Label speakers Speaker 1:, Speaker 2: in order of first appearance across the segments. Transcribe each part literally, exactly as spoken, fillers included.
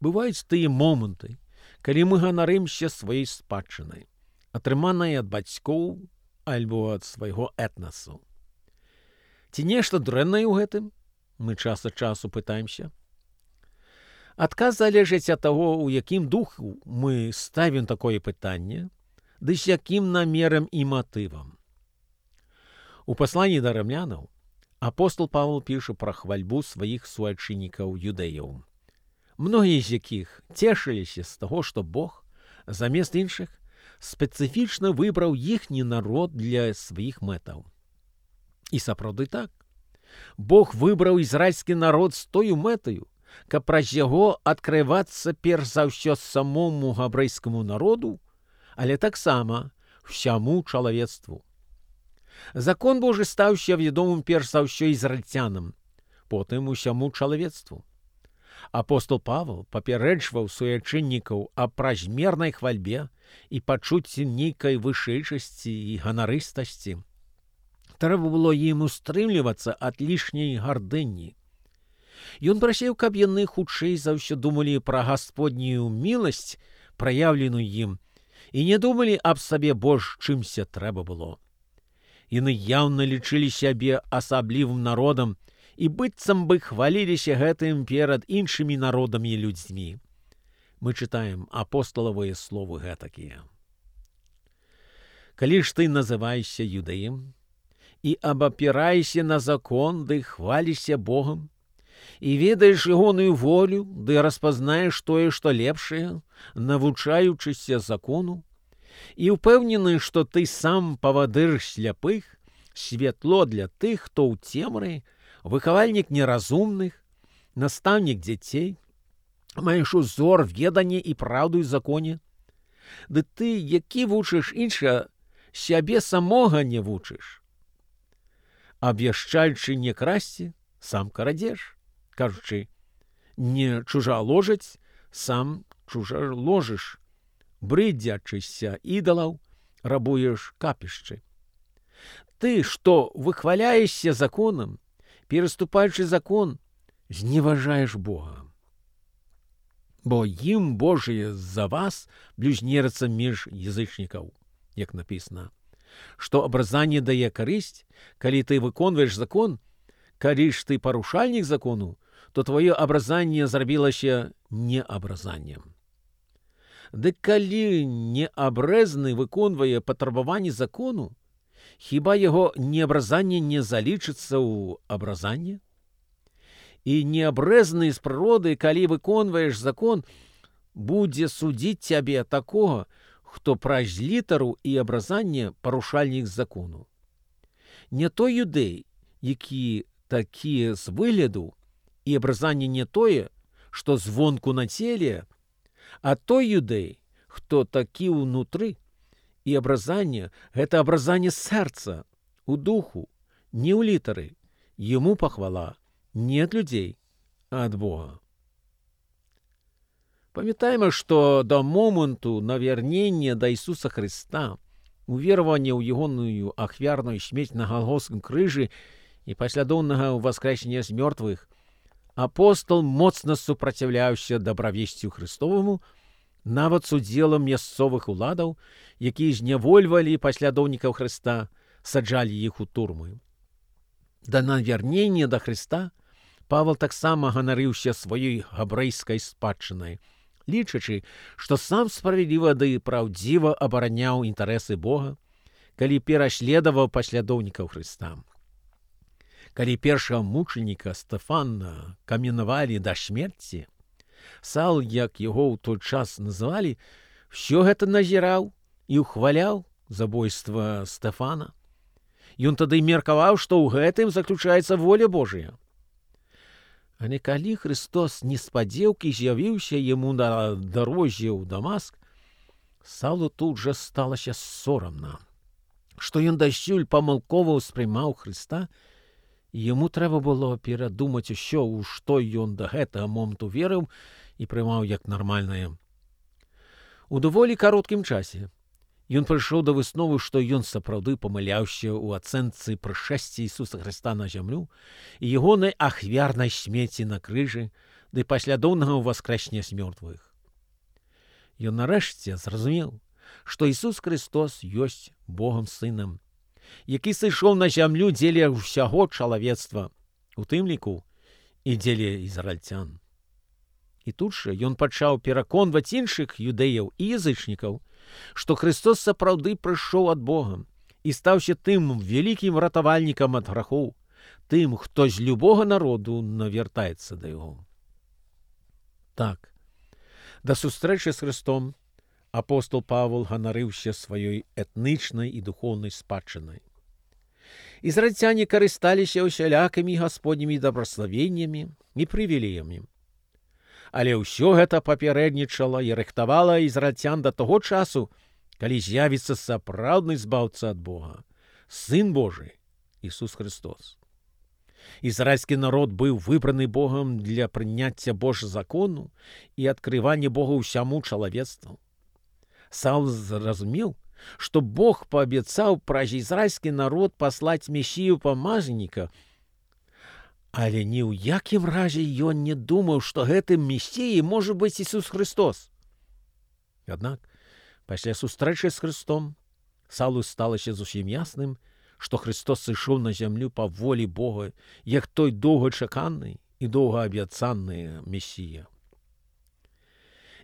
Speaker 1: Бываюць тыя моманты, калі мы ганарымся сваёй спадчынай, атрыманай ад бацькоў альбо ад свайго этнасу. Ці нешта дрэннае ў гэтым? Мы час ад часу пытаемся. Адказ залежыць ад таго, у якім духу мы ставім такое пытанне, ды з якім намерам і матывам. У пасланні да рымлянаў апостол Павел піша пра хвальбу сваіх суайчыннікаў юдэяў, многія з якіх цешыліся з таго, што Бог, замест іншых, спецыфічна выбраў іхні народ для сваіх мэтаў. І сапраўды так. Бог выбраў ізраільскі народ з тою мэтаю, каб праз яго адкрывацца перш за ўсё самому габрэйскаму народу, але таксама ўсяму чалавецтву. Закон Божы стаўся вядомым перш за ўсё ізраільцянам, потым усяму чалавецтву. Апостол Павел папярэджваў суайчыннікаў аб празмернай хвальбе і пачуцці нейкай вышэйшасці і ганарыстасці. Трэба было ім устрымлівацца ад лішняй гардыні. Ён прасіў, каб яны хутчэй за ўсё думалі пра гасподнюю міласць, праяўленую ім, і не думалі аб сабе больш, чымся трэба было. Яны яўна лічылі сябе асаблівым народам і быццам бы хваліліся гэтым перад іншымі народамі і людзьмі. Мы чытаем апосталавыя словы гэтакія. Калі ж ты называешся юдэем і абапіраешся на закон, ды хвалішся Богам, і ведаеш ягоную волю, ды распазнаеш тое, што лепшае, навучаючыся закону, і ўпэўнены, што ты сам павадыр сляпых, святло для тых, хто ў цемры, выхавальнік неразумных, настаўнік дзяцей, маеш узор ведання і праўду і законе, ды ты, які вучыш іншага, сябе самога не вучыш. Абвяшчаючы не красці, сам крадзеш. Кажучы, не чужаложаць, сам чужаложыш. Брыдзячыся ідалаў, рабуеш капішчы. Ты, што выхваляешся законам, пераступаючы закон, зневажаеш Бога. Бо ім Божие за вас блюзнерцца між язычнікаў, як напісана, што абразанне дае карысць, калі ты выконваеш закон, калі ж ты парушальнік закону, то твоё абразанне зрабілася неабразаннем. Дык калі неабрэзны выконвае патрабаванні закону, хіба яго неабразанне не залічыцца ў абразанне? І неабрэзны з прыроды, калі выконваеш закон, будзе судзіць цябе такога, хто праз літару і абразанне парушальнік закону. Не той юдэй, які такі з выгляду, і абразанне не тое, што звонку на целе, а той юдэй, хто такі ўнутры, і абразанне — гэта абразанне сэрца, у духу, не ў літары, яму пахвала не ад людзей, а ад Бога. Памятаем, што да моманту навярнення да Ісуса Хрыста, уверавання ў ягоную ахвярную смерць на Галгофскім крыжы і паслядоўнага ўваскрэсення з мёртвых, апостол моцна супраціўляўся дабравесцю Хрыстоваму, нават з удзелам мясцовых уладаў, якія знявольвалі паслядоўнікаў Хрыста, саджалі іх у турмы. Да навярнення да Хрыста Павел таксама ганарыўся сваёй габрэйскай спадчынай, лічачы, што сам справядліва ды праўдзіва абараняў інтарэсы Бога, калі пераследаваў паслядоўнікаў Хрыста. Калі першага мучаніка Стэфана каменавалі да смерці, Саул, як яго ў той час называлі, ўсё гэта назіраў і ўхваляў забойства Стэфана. Ён тады меркаваў, што ў гэтым заключаецца воля Божая. Але калі Христос неспадзеўкі з'явіўся яму на дарозе ў Дамаск, Саулу тут жа сталася сорамна, што ён дасюль памылкова ўспрымаў Хрыста, і яму трэба было перадумаць усё, у што ён да гэтага моманту верыў і прымаў як нармальнае. У даволі кароткім часе ён прыйшоў да высновы, што ён сапраўды памыляўся ў ацэнцы прышэсця Ісуса Хрыста на зямлю і ягонай ахвярнай смерці на крыжы, ды паслядоўнага ўваскрэсня з мёртвых. Ён нарэшце зразумеў, што Ісус Христос ёсць Богам Сынам, які сышоў на зямлю дзеля ўсяго чалавецтва, у тым ліку і дзеля ізраільцян. І тут жа ён пачаў пераконваць іншых юдэяў і язычнікаў, што Христос сапраўды прыйшоў ад Бога і стаўся тым вялікім ратавальнікам ад грахоў, тым, хто з любога народу навяртаецца да яго. Так, да сустрэчы з Христом апостол Павел ганарыўся сваёй этнічнай і духоўнай спадчынай. Ізраільцяне карысталіся ўсялякімі гасподнімі дабраславеннямі і прывілеямі. Але ўсё гэта папярэднічала і рыхтавала ізраільцян да таго часу, калі з'явіцца сапраўдны збаўца ад Бога, Сын Божы, Ісус Христос. Ізраільскі народ быў выбраны Богам для прыняцця Божа закону і адкрывання Бога ўсяму чалавецтву. Саул зразумеў, што Бог паабяцаў праз ізраільскі народ паслаць месію памазаніка, але ні ў якім разе ён не думаў, што гэтым месіяй можа быць Ісус Христос. Аднак, пасля сустрэчы з Христом, Саулу сталася зусім ясным, што Христос сышоў на зямлю па волі Бога, як той доўгачаканы і доўгаабяцаны месія.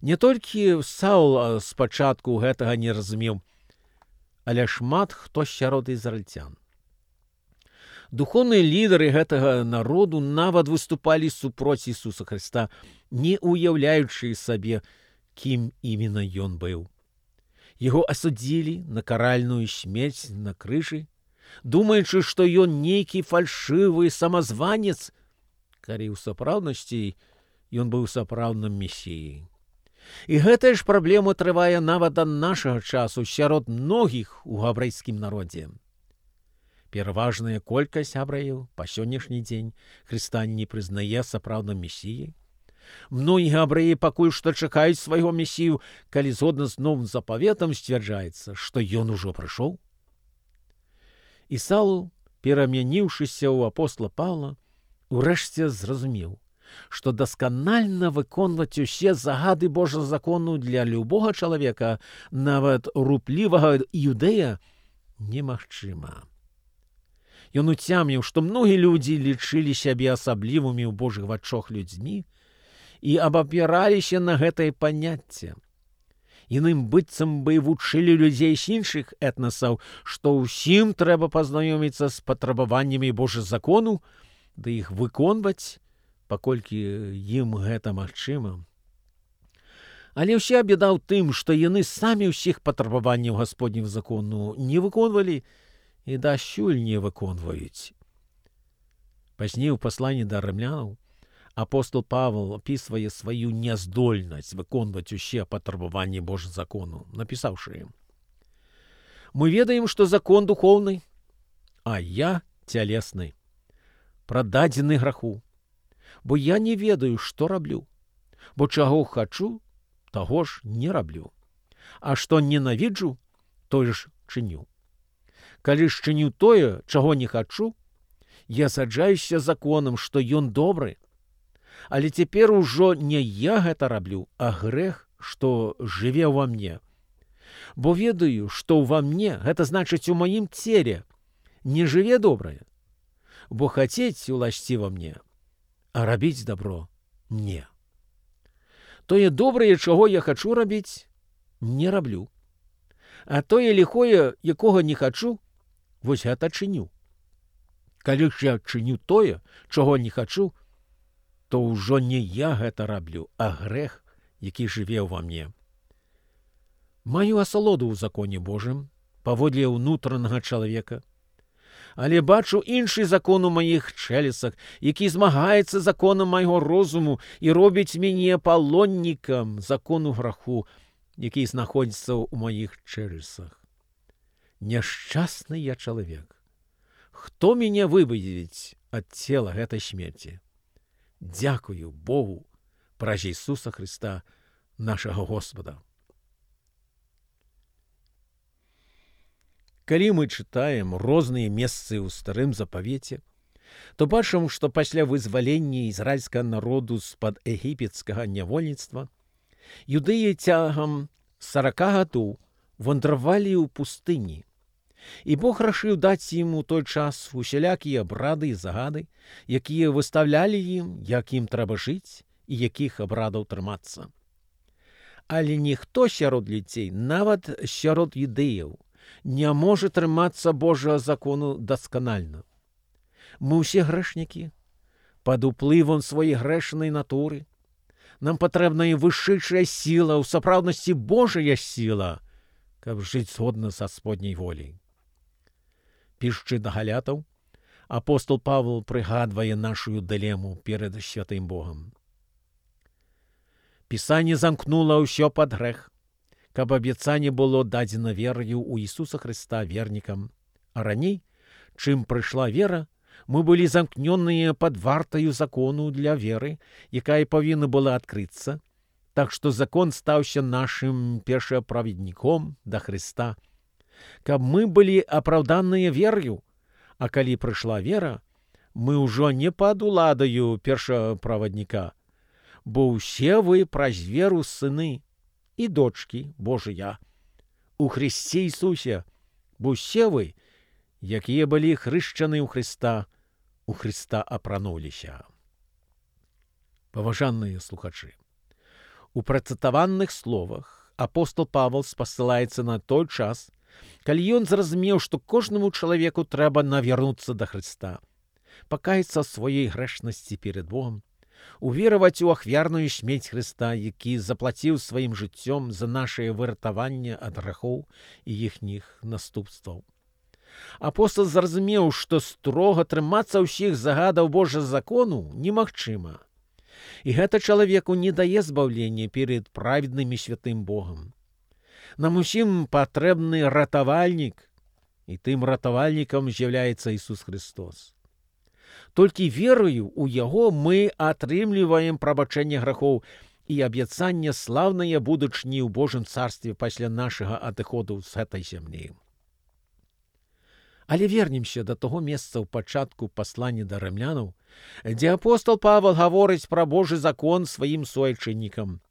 Speaker 1: Не толькі Саул спачатку гэтага не разумеў, але шмат хто сярод ізраільцян. Духоўныя лідары гэтага народу нават выступалі супроць Ісуса Христа, не уяўляючы сабе, кім іменно ён быў. Яго асудзілі на каральную смерць на крыжы, думаючы, што ён нейкі фальшывы самазванец, калі ў сапраўднасці ён быў сапраўдным месіяй. І гэтая ж праблема трывае нават да нашага часу сярод многіх у габрэйскім народзе. Пераважная колькасць габрэяў па сённяшні дзень Хрыста не прызнае сапраўдным месіяй. Многія габрэі пакуль што чакаюць свайго месію, калі згодна з новым запаветам сцвярджаецца, што ён ужо прыйшоў. І Саул, перамяніўшыся ў апостола Паўла, урэшце зразумеў, што дасканальна выконваць усе загады Божага закону для любога чалавека, нават руплівага юдэя, немагчыма. Ён уцяміў, што многія людзі лічылі сябе асаблівымі ў Божых вачах людзьмі і абапіраліся на гэтае паняцце. Іным быццам бы вучылі людзей з іншых этнасаў, што ўсім трэба пазнаёміцца з патрабаваннямі Божага закону, да іх выконваць, паколькі ім гэта магчыма. Але ўся бяда ў тым, што яны самі ўсіх патрабаванняў Гасподнім закону не выконвалі і дасюль не выконваюць. Пазней у пасланні да рымлянаў апостол Павел апісвае сваю няздольнасць выконваць усе патрабаванні Божага закону, напісаўшы ім: «Мы ведаем, што закон духоўны, а я цялесны, прададзены граху, бо я не ведаю, што раблю, бо чаго хачу, таго ж не раблю, а што ненавіджу, тое ж чыню. Калі ж чыню тое, чаго не хачу, я саджаюся законам, што ён добры. Але цяпер ужо не я гэта раблю, а грэх, што жыве ўва мне. Бо ведаю, што ўва мне, гэта значыць у маім целе, не жыве добрае. Бо хацець уласціва мне, а рабіць дабро не. Тое добрае, чаго я хачу рабіць, не раблю. А тое ліхое, якога не хачу, вось гэта чыню. Калі ж я чыню тое, чаго не хачу, то ўжо не я гэта раблю, а грэх, які жыве ўва мне. Маю асалоду ў законе Божым, паводле ўнутранага чалавека, але бачу іншы закон у маіх чэлесах, які змагаецца законам майго розуму і робіць мяне палоннікам закону граху, які знаходзіцца ў маіх чэлесах. Няшчасны я чалавек. Хто мяне выведзіць ад цела гэтай смерці? Дзякую Богу праз Ісуса Христа, нашага Господа». Калі мы чытаем розныя месцы ў Старым Запавеце, то бачым, што пасля вызвалення ізраільскага народу з-пад егіпецкага нявольніцтва юдэі цягам сарака гадоў вандравалі ў пустыні. І Бог рашыў даць ім у той час усялякія абрады і загады, якія выставлялі ім, як ім трэба жыць і якіх абрадаў трымацца. Але ніхто сярод людзей, нават сярод юдэяў, не можа трымацца Божага закону дасканальна. Мы ўсе грэшнікі, пад уплывам сваёй грэшнай натуры. Нам патрэбная вышэйшая сіла, у сапраўднасці Божая сіла, каб жыць згодна са Гасподняй воляй. Пішучы да галятаў, апостол Павел прыгадвае нашую дылему перад святым Богам. Пісанне замкнула ўсё пад грэх, каб абяцанне было дадзена вераю ў Ісуса Хрыста вернікам, а раней, чым прыйшла вера, мы былі замкнёныя пад вартаю закону для веры, якая павінна была адкрыцца, так што закон стаўся нашым першаправедніком да Хрыста, каб мы былі апраўданыя верою, а калі прыйшла вера, мы ўжо не пад уладаю першаправадніка, бо ўсе вы праз веру сыны і дочкі Божыя у Хрысце Ісусе, бо ўсе вы, якія былі хрышчаны ў Хрыста, у Хрыста апрануліся. Паважаныя слухачы, у працытаваных словах апостол Павел спасылаецца на той час, калі ён зразумеў, што кожнаму чалавеку трэба навярнуцца да Хрыста, пакаяцца сваёй грэшнасці перад Богам, увераваць у ахвярную смерць Хрыста, які заплаціў сваім жыццём за нашае выратаванне ад грахоў і іхніх наступстваў. Апостол зразумеў, што строга трымацца ўсіх загадаў Божага закону немагчыма. І гэта чалавеку не дае збаўлення перад праведным і святым Богам. Нам усім патрэбны ратавальнік, і тым ратавальнікам з'яўляецца Ісус Христос. Толькі верою ў Яго мы атрымліваем прабачэнне грахоў і абяцанне слаўнае будучыні ў Божым царстве пасля нашага адыходу з гэтай зямлі. Але вернемся да таго месца ў пачатку паслання да рымлянаў, дзе апостол Павел гаворыць пра Божы закон сваім суайчыннікам.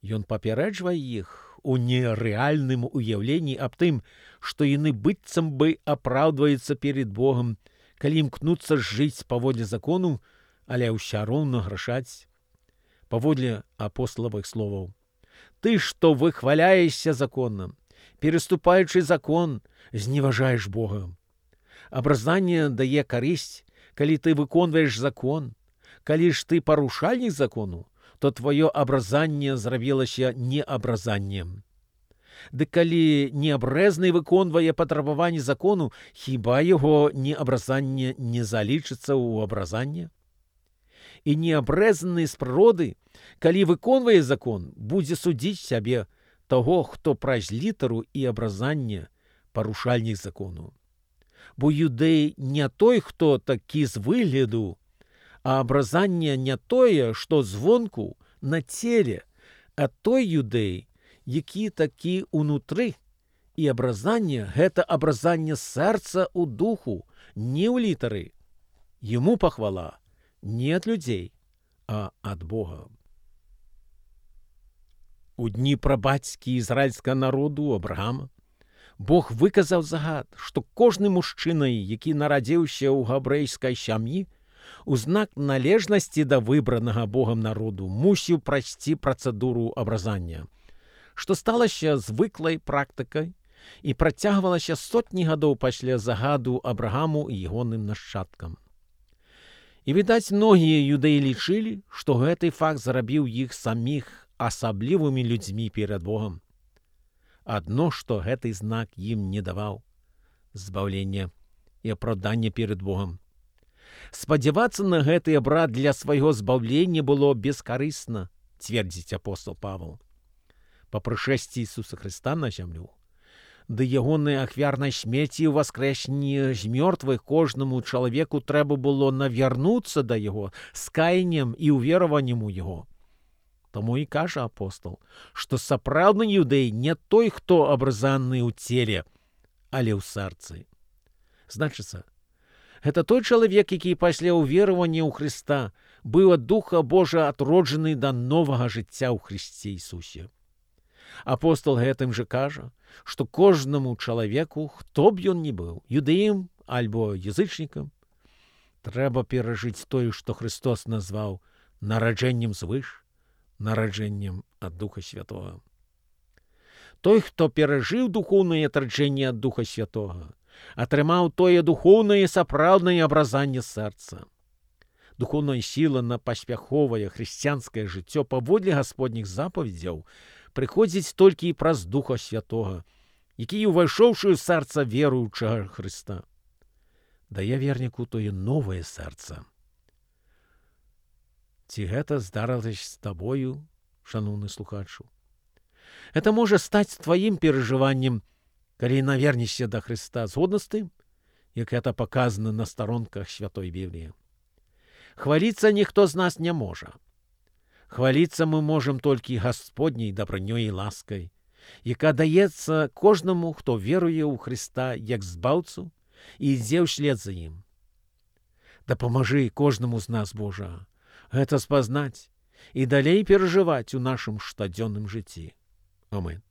Speaker 1: Ён папярэджвае іх у нерэальным уяўленні аб тым, што яны быццам бы апраўдваюцца перед Богам, калі імкнуцца жыць паводле закону, але ўсё роўна грашаць. Паводле апосталавых словаў: «Ты, што выхваляешся законам, переступаючы закон, зневажаеш Бога. Абразанне дае карысць, калі ты выконваеш закон. Калі ж ты парушальнік закону, то твоё абразанне зрабілася неабразаннем. Ды калі неабрэзны выконвае патрабаванні закону, хіба яго неабразанне не залічыцца ў абразанне? І неабрэзаны з прыроды, калі выконвае закон, будзе судзіць сябе, таго, хто праз літару і абразанне парушальнік закону. Бо юдэй не той, хто такі з выгляду, а абразанне не тое, што звонку на целе, а той юдэй, які такі ўнутры, і абразанне — гэта абразанне сэрца ў духу, не ў літары. Яму пахвала не ад людзей, а ад Бога. У дні прабацькі ізраільскага народу Абрагама Бог выказаў загад, што кожны мужчына, які нарадзіўся ў габрэйскай сям'і, у знак належнасці да выбранага Богам народу мусіў прайсці працэдуру абразання, што сталася звыклай практыкай і працягвалася сотні гадоў пасля загаду Абрагаму і ягоным нашчадкам. І, відаць, многія юдэі лічылі, што гэты факт зрабіў іх саміх асаблівымі людзьмі перад Богам. Адно, што гэты знак ім не даваў збаўлення і апраўдання перад Богам. Спадзявацца на гэты абрад для свайго збаўлення было бескарысна, цвердзіць апостол Павел. Па прышэсці Ісуса Хрыста на зямлю, ды ягонай ахвярнай смерці ў воскрэсенні з мёртвых кожнаму чалавеку трэба было навярнуцца да яго з каяннем і ўвераваннем у яго. Таму і кажа апостол, што сапраўдны юдэй не той, хто абразаны ў целе, але ў сэрцы. Значыцца, Гэта той чалавек, які пасля ўверавання ў Хрыста быў ад Духа Божа адроджаны да новага жыцця ў Хрысце Ісусе. Апостол гэтым жа кажа, што кожнаму чалавеку, хто б ён ні быў, юдэем альбо язычнікам, трэба перажыць тое, што Христос назваў нараджэннем звыш, нараджэннем ад Духа Святога. Той, хто перажыў духоўнае адраджэнне ад Духа Святога, атрымаў тое духоўнае сапраўднае абразанне сэрца. Духоўная сіла на паспяховае хрысціянскае жыццё паводле гасподніх запаведзяў прыходзіць толькі праз Духа Святога, які, увайшоўшы ў сэрца веруючага Хрыста, дае верніку тое новае сэрца. Ці гэта здарылася з табою, шаноўны слухачу? Гэта можа стаць тваім перажываннем, калі навернешся да Хрыста, згодна з тым, як гэта паказана на старонках Святой Бібліі. Хваліцца ніхто з нас не можа. Хваліцца мы можам толькі Гасподняй дабранёй і ласкай, яка даецца кожнаму, хто веруе ў Хрыста як збаўцу і ідзе ўслед за ім. Дапамажы кожнаму з нас, Божа, гэта спазнаць і далей перажываць у нашым штодзённым жыцці. Амэн.